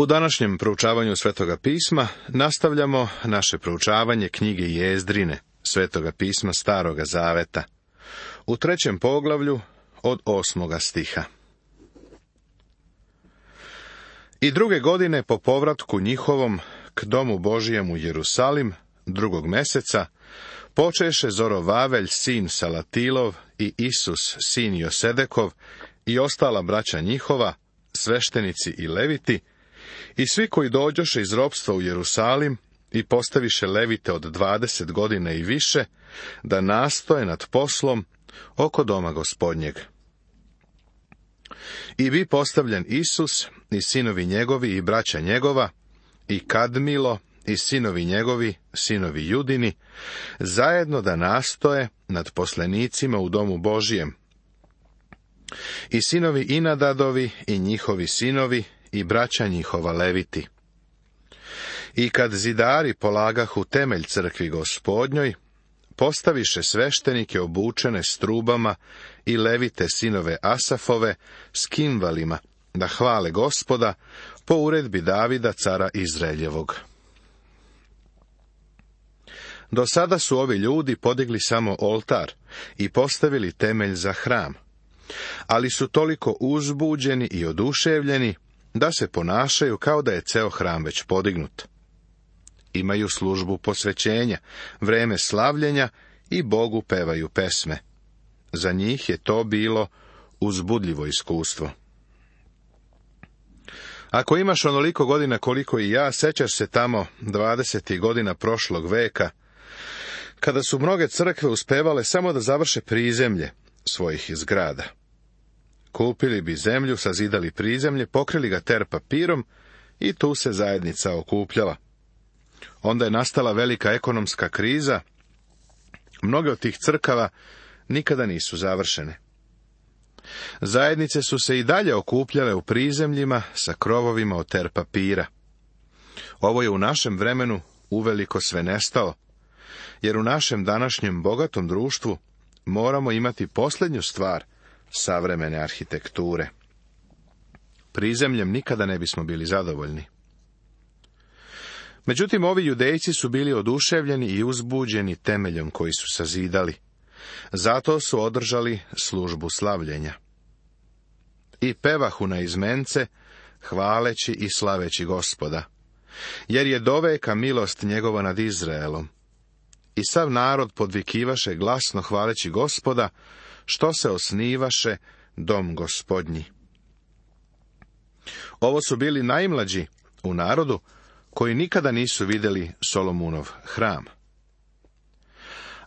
U današnjem proučavanju Svetoga pisma nastavljamo naše proučavanje knjige Jezdrine, Svetoga pisma Staroga zaveta, u 3. poglavlju od 8. stiha. I 2. godine po povratku njihovom k domu Božijem u Jerusalim, 2. meseca, počeše Zorovavelj sin Salatilov i Isus sin Josedekov i ostala braća njihova, sveštenici i leviti, i svi koji dođoše iz ropstva u Jerusalim i postaviše levite od 20 godina i više, da nastoje nad poslom oko doma Gospodnjeg. I bi postavljen Isus i sinovi njegovi i braća njegova, i Kadmilo i sinovi njegovi, sinovi Judini, zajedno da nastoje nad poslenicima u domu Božijem. I sinovi Inadadovi i njihovi sinovi i braća njihova leviti. I kad zidari polagahu temelj crkvi Gospodnjoj, postaviše sveštenike obučene s trubama i levite sinove Asafove s kimvalima, da hvale Gospoda po uredbi Davida cara Izraeljevog. Do sada su ovi ljudi podigli samo oltar i postavili temelj za hram, ali su toliko uzbuđeni i oduševljeni da se ponašaju kao da je ceo hram već podignut. Imaju službu posvećenja, vreme slavljenja i Bogu pevaju pesme. Za njih je to bilo uzbudljivo iskustvo. Ako imaš onoliko godina koliko i ja, sećaš se tamo 20. godina prošlog veka, kada su mnoge crkve uspevale samo da završe prizemlje svojih zgrada. Kupili bi zemlju, sazidali prizemlje, pokrili ga ter papirom i tu se zajednica okupljala. Onda je nastala velika ekonomska kriza. Mnoge od tih crkava nikada nisu završene. Zajednice su se i dalje okupljale u prizemljima sa krovovima od ter papira. Ovo je u našem vremenu uveliko sve nestalo, jer u našem današnjem bogatom društvu moramo imati posljednju stvar savremene arhitekture. Prizemljem nikada ne bismo bili zadovoljni. Međutim, ovi Judejci su bili oduševljeni i uzbuđeni temeljom koji su sazidali. Zato su održali službu slavljenja. I pevahu na izmence, hvaleći i slaveći Gospoda, jer je doveka milost njegova nad Izraelom. I sav narod podvikivaše glasno hvaleći Gospoda, što se osnivaše dom Gospodnji. Ovo su bili najmlađi u narodu, koji nikada nisu vidjeli Solomunov hram.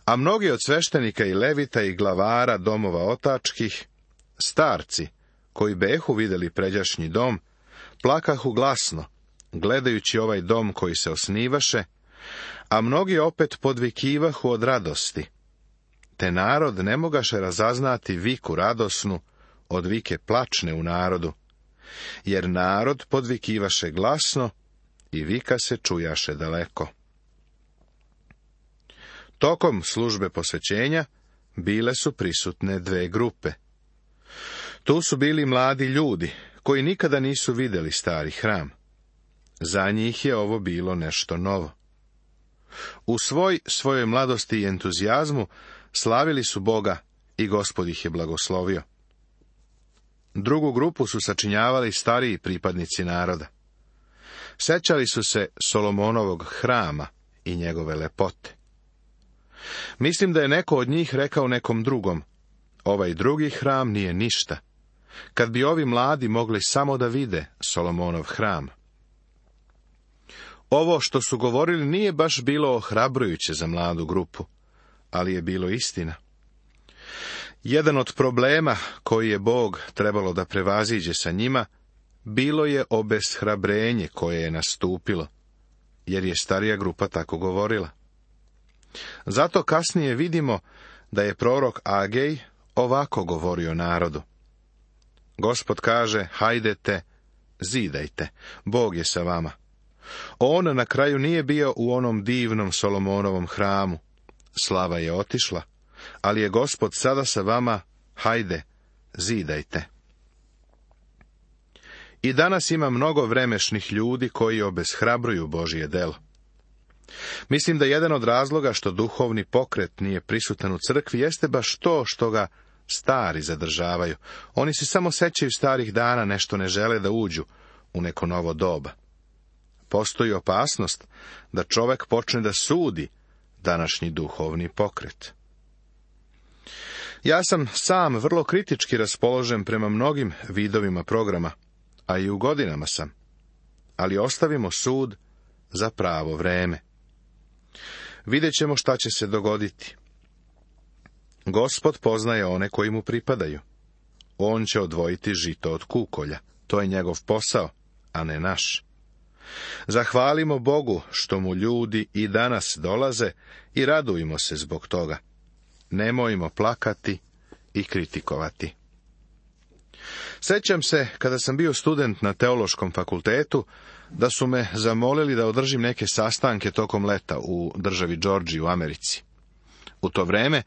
A mnogi od sveštenika i levita i glavara domova otačkih, starci, koji behu vidjeli pređašnji dom, plakahu glasno, gledajući ovaj dom koji se osnivaše, a mnogi opet podvikivahu od radosti. Te narod ne mogaše razaznati viku radosnu od vike plačne u narodu, jer narod podvikivaše glasno i vika se čujaše daleko. Tokom službe posvećenja bile su prisutne dve grupe. Tu su bili mladi ljudi, koji nikada nisu vidjeli stari hram. Za njih je ovo bilo nešto novo. U svojoj mladosti i entuzijazmu slavili su Boga i Gospod ih je blagoslovio. Drugu grupu su sačinjavali stariji pripadnici naroda. Sećali su se Solomonovog hrama i njegove lepote. Mislim da je neko od njih rekao nekom drugom, ovaj drugi hram nije ništa, kad bi ovi mladi mogli samo da vide Solomonov hram. Ovo što su govorili nije baš bilo ohrabrujuće za mladu grupu, ali je bilo istina. Jedan od problema koji je Bog trebalo da prevaziđe sa njima, bilo je obeshrabrenje koje je nastupilo, jer je starija grupa tako govorila. Zato kasnije vidimo da je prorok Agej ovako govorio narodu. Gospod kaže, hajdete, zidajte, Bog je sa vama. On na kraju nije bio u onom divnom Solomonovom hramu. Slava je otišla, ali je Gospod sada sa vama, hajde, zidajte. I danas ima mnogo vremešnih ljudi koji obeshrabruju Božje delo. Mislim da jedan od razloga što duhovni pokret nije prisutan u crkvi jeste baš to što ga stari zadržavaju. Oni se samo sećaju starih dana, nešto ne žele da uđu u neko novo doba. Postoji opasnost da čovek počne da sudi današnji duhovni pokret. Ja sam sam vrlo kritički raspoložen prema mnogim vidovima programa, a i u godinama sam. Ali ostavimo sud za pravo vreme. Vidjet ćemo šta će se dogoditi. Gospod poznaje one koji mu pripadaju. On će odvojiti žito od kukolja. To je njegov posao, a ne naš. Zahvalimo Bogu što mu ljudi i danas dolaze i radujmo se zbog toga. Nemojmo plakati i kritikovati. Sećam se, kada sam bio student na teološkom fakultetu, da su me zamolili da održim neke sastanke tokom leta u državi Džordžiji u Americi. U to vreme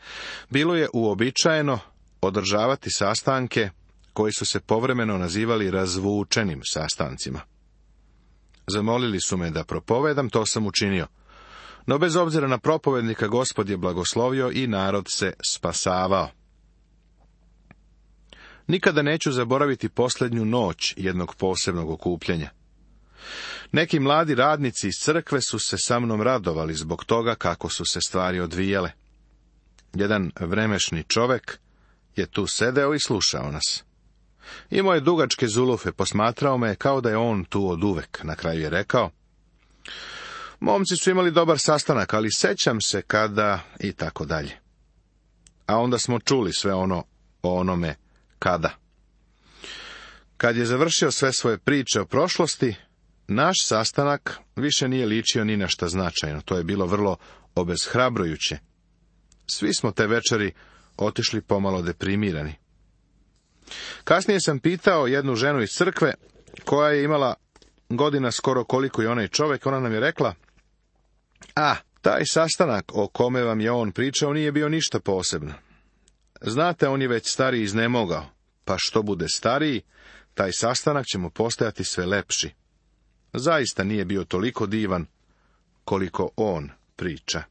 bilo je uobičajeno održavati sastanke koji su se povremeno nazivali razvučenim sastancima. Zamolili su me da propovedam, to sam učinio. No bez obzira na propovednika, Gospod je blagoslovio i narod se spasavao. Nikada neću zaboraviti posljednju noć jednog posebnog okupljanja. Neki mladi radnici iz crkve su se sa mnom radovali zbog toga kako su se stvari odvijale. Jedan vremešni čovek je tu sedeo i slušao nas. Imao je dugačke zulufe, posmatrao me kao da je on tu oduvek. Na kraju je rekao: momci su imali dobar sastanak, ali sećam se kada i tako dalje. A onda smo čuli sve ono o onome kada. Kad je završio sve svoje priče o prošlosti, naš sastanak više nije ličio ni na šta značajno. To je bilo vrlo obeshrabrujuće. Svi smo te večeri otišli pomalo deprimirani. Kasnije sam pitao jednu ženu iz crkve, koja je imala godina skoro koliko i onaj čovjek. Ona nam je rekla: taj sastanak o kome vam je on pričao nije bio ništa posebno. Znate, on je već stariji iznemogao, pa što bude stariji, taj sastanak će mu postajati sve lepši. Zaista nije bio toliko divan koliko on priča.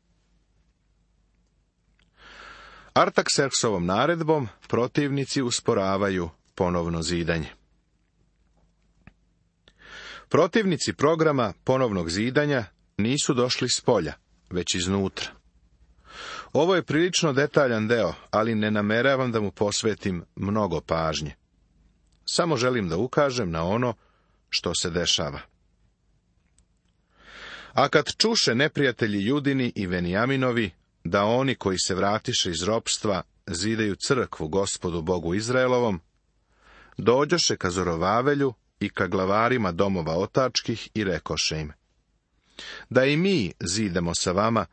Artakserksovom naredbom protivnici usporavaju ponovno zidanje. Protivnici programa ponovnog zidanja nisu došli s polja, već iznutra. Ovo je prilično detaljan deo, ali ne nameravam da mu posvetim mnogo pažnje. Samo želim da ukažem na ono što se dešava. A kad čuše neprijatelji Judini i Venijaminovi da oni koji se vratiše iz ropstva zidaju crkvu Gospodu Bogu Izraelovom, dođoše ka Zorovavelju i ka glavarima domova otačkih i rekoše im: da i mi zidamo sa vama,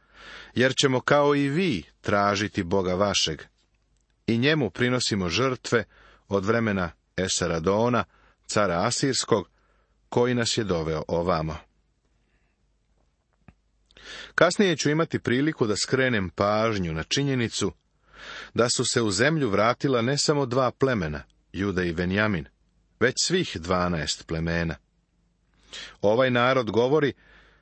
jer ćemo kao i vi tražiti Boga vašeg, i njemu prinosimo žrtve od vremena Esaradona, cara Asirskog, koji nas je doveo ovamo. Kasnije ću imati priliku da skrenem pažnju na činjenicu da su se u zemlju vratila ne samo 2 plemena, Juda i Venjamin, već svih 12 plemena. Ovaj narod govori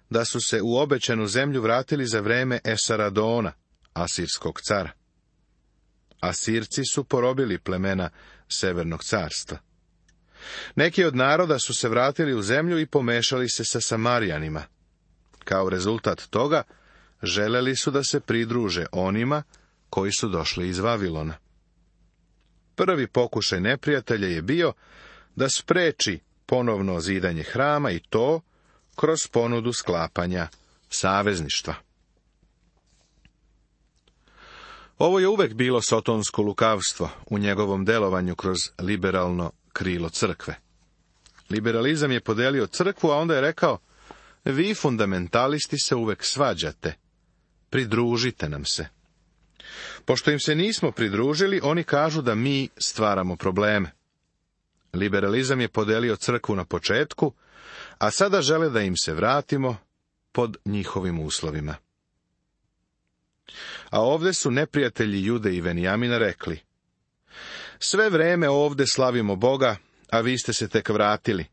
da su se u obećanu zemlju vratili za vreme Esaradona, Asirskog cara. Asirci su porobili plemena Severnog carstva. Neki od naroda su se vratili u zemlju i pomešali se sa Samarijanima. Kao rezultat toga, želeli su da se pridruže onima koji su došli iz Vavilona. Prvi pokušaj neprijatelja je bio da spreči ponovno zidanje hrama, i to kroz ponudu sklapanja savezništva. Ovo je uvek bilo sotonsko lukavstvo u njegovom delovanju kroz liberalno krilo crkve. Liberalizam je podelio crkvu, a onda je rekao: vi fundamentalisti se uvek svađate, pridružite nam se. Pošto im se nismo pridružili, oni kažu da mi stvaramo probleme. Liberalizam je podelio crkvu na početku, a sada žele da im se vratimo pod njihovim uslovima. A ovde su neprijatelji Jude i Venijamina rekli: sve vreme ovde slavimo Boga, a vi ste se tek vratili.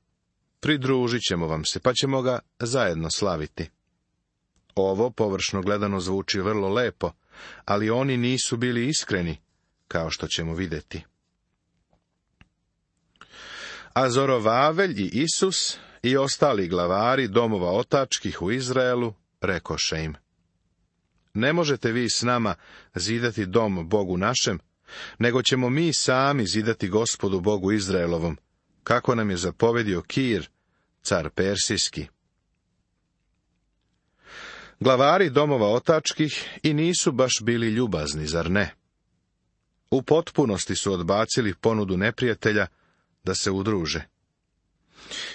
pridružit ćemo vam se, pa ćemo ga zajedno slaviti. Ovo, površno gledano, zvuči vrlo lepo, ali oni nisu bili iskreni, kao što ćemo vidjeti. A Zorovavelj i Isus i ostali glavari domova otačkih u Izraelu rekoše im: Ne možete vi s nama zidati dom Bogu našem, nego ćemo mi sami zidati Gospodu Bogu Izraelovom, kako nam je zapovedio Kir, car Persijski. Glavari domova otačkih i nisu baš bili ljubazni, zar ne? U potpunosti su odbacili ponudu neprijatelja da se udruže.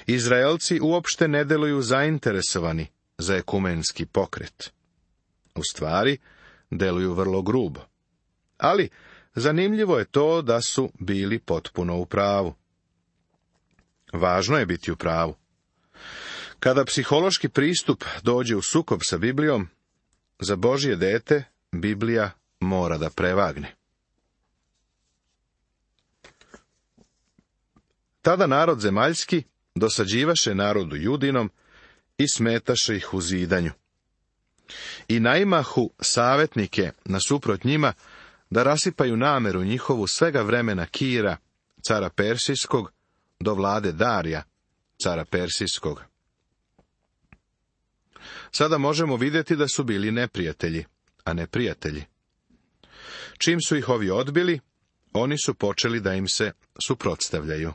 Izraelci uopšte ne deluju zainteresovani za ekumenski pokret. U stvari, deluju vrlo grubo. Ali, zanimljivo je to da su bili potpuno u pravu. Važno je biti u pravu. Kada psihološki pristup dođe u sukob sa Biblijom, za Božje dete Biblija mora da prevagne. Tada narod zemaljski dosađivaše narodu Judinom i smetaše ih u zidanju. I naimahu savjetnike nasuprot njima da rasipaju nameru njihovu svega vremena Kira, cara Persijskog, do vlade Darija, cara Persijskog. Sada možemo vidjeti da su bili neprijatelji, a ne prijatelji. Čim su ih ovi odbili, oni su počeli da im se suprotstavljaju.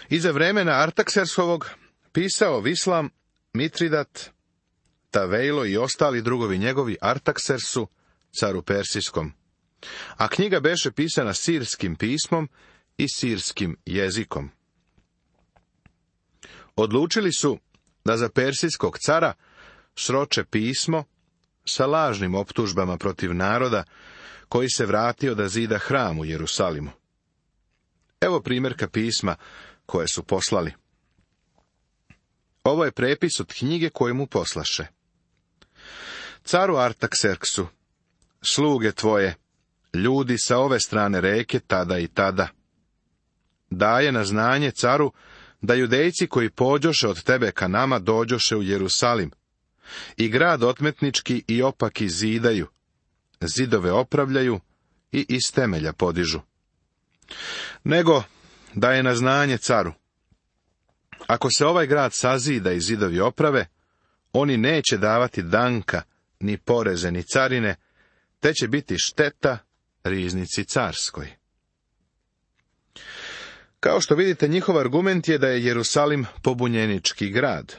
Iza vremena Artaksersovog pisao Vislam, Mitridat, Tavejlo i ostali drugovi njegovi Artaksersu, caru Persijskom. A knjiga beše pisana sirskim pismom i sirskim jezikom. Odlučili su da za persijskog cara sroče pismo sa lažnim optužbama protiv naroda koji se vratio da zida hram u Jerusalimu. Evo primjerka pisma koje su poslali. Ovo je prepis od knjige koju mu poslaše. Caru Artakserksu, sluge tvoje, ljudi sa ove strane reke tada i tada. Daje na znanje caru da Judejci koji pođoše od tebe ka nama dođoše u Jerusalim, i grad otmetnički i opaki zidaju, zidove opravljaju i iz temelja podižu. Nego daje na znanje caru: Ako se ovaj grad sazida i zidovi oprave, oni neće davati danka, ni poreze, ni carine, te će biti šteta riznici carskoj. Kao što vidite, njihov argument je da je Jerusalim pobunjenički grad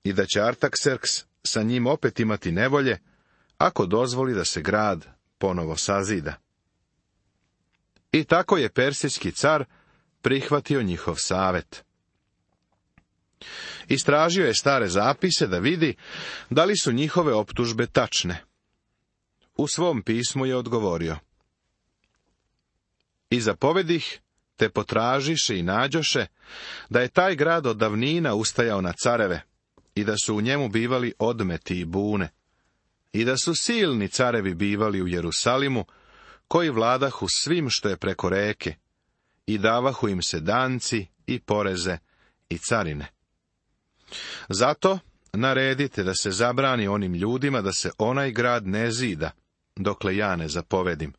i da će Artakserks sa njim opet imati nevolje ako dozvoli da se grad ponovo sazida. I tako je persijski car prihvatio njihov savjet. Istražio je stare zapise da vidi da li su njihove optužbe tačne. U svom pismu je odgovorio: I zapovedih, te potražiše i nađoše, da je taj grad od davnina ustajao na careve, i da su u njemu bivali odmeti i bune, i da su silni carevi bivali u Jerusalimu, koji vladahu svim što je preko reke, i davahu im se danci i poreze i carine. Zato naredite da se zabrani onim ljudima da se onaj grad ne zida, dokle ja ne zapovedim.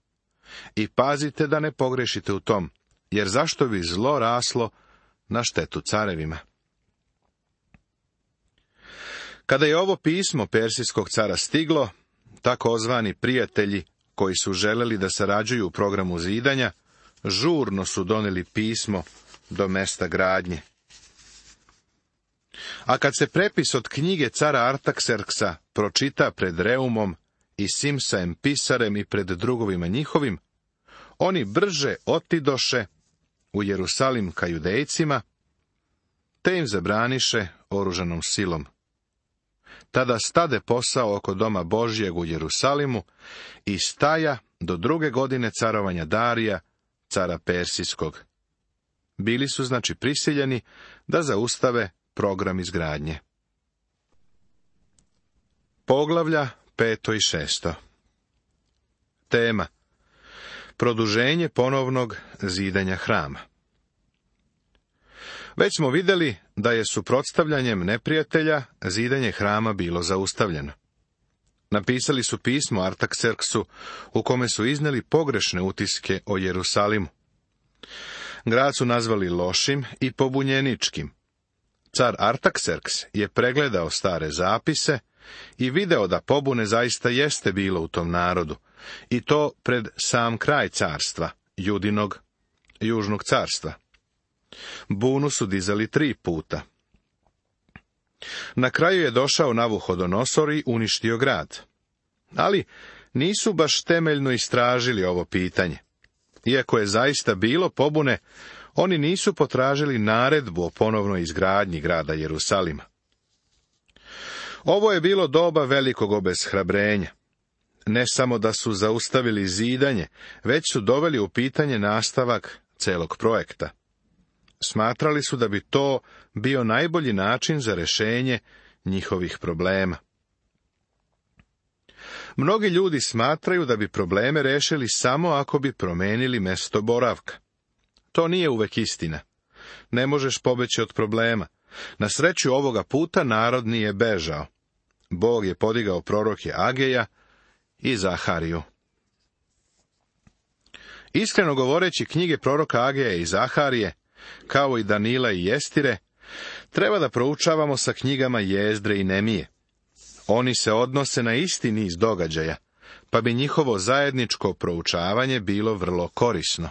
I pazite da ne pogrešite u tom, jer zašto bi zlo raslo na štetu carevima. Kada je ovo pismo persijskog cara stiglo, takozvani prijatelji koji su želeli da sarađuju u programu zidanja, žurno su doneli pismo do mesta gradnje. A kad se prepis od knjige cara Artakserksa pročita pred Reumom i Simsaem pisarem i pred drugovima njihovim, oni brže otidoše u Jerusalim ka Judejcima, te im zabraniše oružanom silom. Tada stade posao oko doma Božjeg u Jerusalimu i staja do 2. godine carovanja Darija, cara Persijskog. Bili su znači prisiljeni da zaustave program izgradnje. Poglavlja 5. i 6. Tema: produženje ponovnog zidanja hrama. Već smo vidjeli da je suprotstavljanjem neprijatelja zidanje hrama bilo zaustavljeno. Napisali su pismo Artakserksu u kome su iznijeli pogrešne utiske o Jerusalimu. Grad su nazvali lošim i pobunjeničkim. Car Artakserks je pregledao stare zapise i video da pobune zaista jeste bilo u tom narodu, i to pred sam kraj carstva, Judinog, južnog carstva. Bunu su dizali 3 puta. Na kraju je došao Navuhodonosor i uništio grad. Ali nisu baš temeljno istražili ovo pitanje. Iako je zaista bilo pobune, oni nisu potražili naredbu o ponovnoj izgradnji grada Jerusalima. Ovo je bilo doba velikog obeshrabrenja. Ne samo da su zaustavili zidanje, već su doveli u pitanje nastavak celog projekta. Smatrali su da bi to bio najbolji način za rješenje njihovih problema. Mnogi ljudi smatraju da bi probleme rešili samo ako bi promenili mesto boravka. To nije uvek istina. Ne možeš pobeći od problema. Na sreću ovoga puta narod nije bežao. Bog je podigao proroke Ageja i Zahariju. Iskreno govoreći, knjige proroka Ageja i Zaharije, kao i Danila i Jestire, treba da proučavamo sa knjigama Jezdre i Nemije. Oni se odnose na isti niz događaja, pa bi njihovo zajedničko proučavanje bilo vrlo korisno.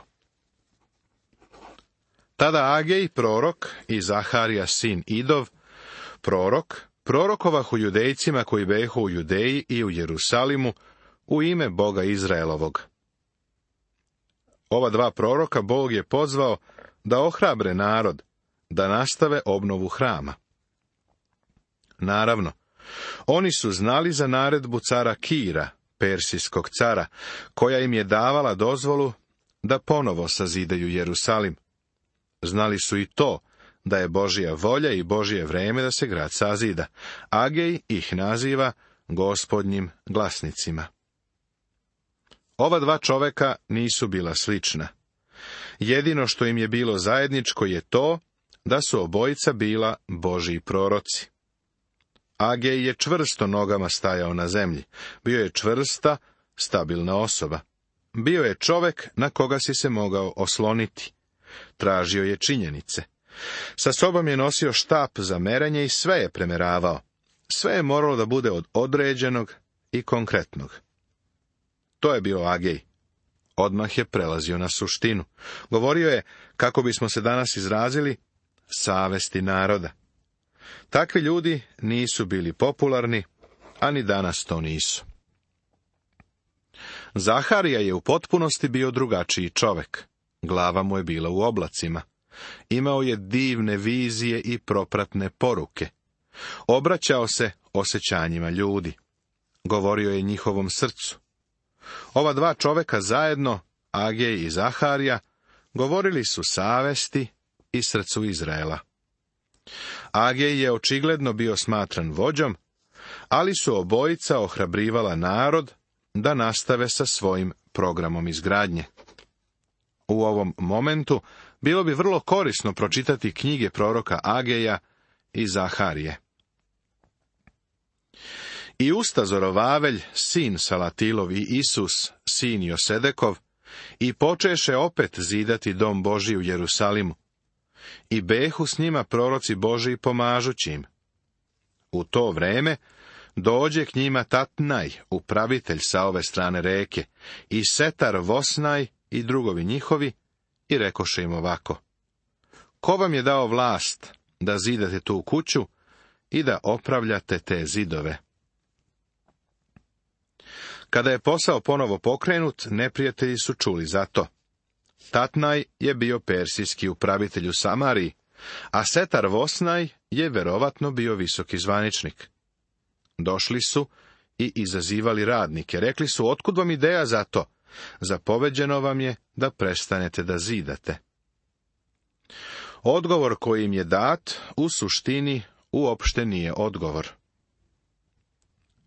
Tada Agej, prorok, i Zaharija, sin Idov, prorok, prorokovahu Judejcima koji behu u Judeji i u Jerusalimu u ime Boga Izraelovog. Ova 2 proroka Bog je pozvao da ohrabre narod, da nastave obnovu hrama. Naravno, oni su znali za naredbu cara Kira, persijskog cara, koja im je davala dozvolu da ponovo sazidaju Jerusalim. Znali su i to, da je Božja volja i Božje vreme da se grad sazida. Agej ih naziva Gospodnjim glasnicima. Ova 2 čoveka nisu bila slična. Jedino što im je bilo zajedničko je to da su obojica bila Božji proroci. Agej je čvrsto nogama stajao na zemlji. Bio je čvrsta, stabilna osoba. Bio je čovek na koga si se mogao osloniti. Tražio je činjenice. Sa sobom je nosio štap za merenje i sve je premeravao. Sve je moralo da bude od određenog i konkretnog. To je bio Agej. Odmah je prelazio na suštinu. Govorio je, kako bismo se danas izrazili, savesti naroda. Takvi ljudi nisu bili popularni, a ni danas to nisu. Zaharija je u potpunosti bio drugačiji čovek. Glava mu je bila u oblacima. Imao je divne vizije i propratne poruke. Obraćao se osjećanjima ljudi. Govorio je njihovom srcu. Ova 2 čoveka zajedno, Agej i Zaharija, govorili su savesti i srcu Izraela. Agej je očigledno bio smatran vođom, ali su obojica ohrabrivala narod da nastave sa svojim programom izgradnje. U ovom momentu bilo bi vrlo korisno pročitati knjige proroka Ageja i Zaharije. I usta Zorovavelj, sin Salatilov, i Isus, sin Josedekov, i počeše opet zidati dom Božji u Jerusalimu. I behu s njima proroci Božji pomažući im. U to vreme dođe k njima Tatnaj, upravitelj sa ove strane reke, i Setar Vosnaj i drugovi njihovi, i rekoše im ovako: Ko vam je dao vlast da zidate tu kuću i da opravljate te zidove? Kada je posao ponovo pokrenut, neprijatelji su čuli za to. Tatnaj je bio persijski upravitelj u Samariji, a Setar Vosnaj je verovatno bio visoki zvaničnik. Došli su i izazivali radnike. Rekli su: Otkud vam ideja za to? Zapoveđeno vam je da prestanete da zidate. Odgovor koji im je dat, u suštini, uopšte nije odgovor.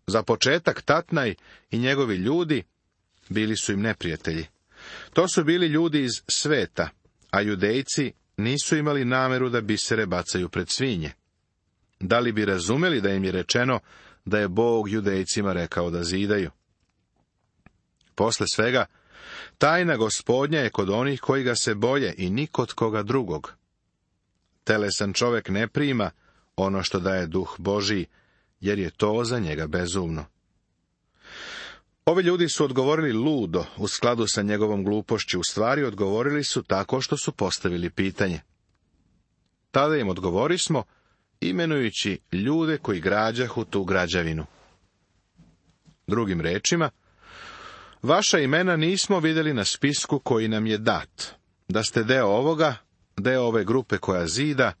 Za početak Tatnaj i njegovi ljudi bili su im neprijatelji. To su bili ljudi iz sveta, a Judejci nisu imali nameru da bisere bacaju pred svinje. Da li bi razumeli da im je rečeno da je Bog Judejcima rekao da zidaju? Posle svega, tajna Gospodnja je kod onih koji ga se boje i ni kod koga drugog. Telesan čovek ne prima ono što daje Duh Božiji, jer je to za njega bezumno. Ovi ljudi su odgovorili ludo u skladu sa njegovom glupošću, u stvari odgovorili su tako što su postavili pitanje. Tada im odgovorismo, imenujući ljude koji građahu tu građevinu. Drugim rečima, vaša imena nismo vidjeli na spisku koji nam je dat. Da ste deo ovoga, deo ove grupe koja zida,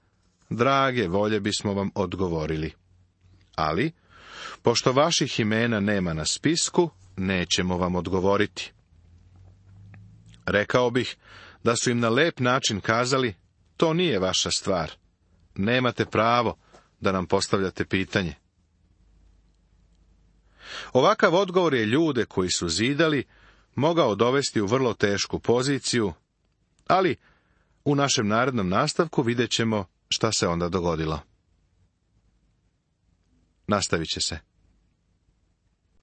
drage volje bismo vam odgovorili. Ali, pošto vaših imena nema na spisku, nećemo vam odgovoriti. Rekao bih da su im na lep način kazali, to nije vaša stvar. Nemate pravo da nam postavljate pitanje. Ovakav odgovor je ljude koji su zidali mogao dovesti u vrlo tešku poziciju, ali u našem narednom nastavku vidjet ćemo šta se onda dogodilo. Nastavit će se.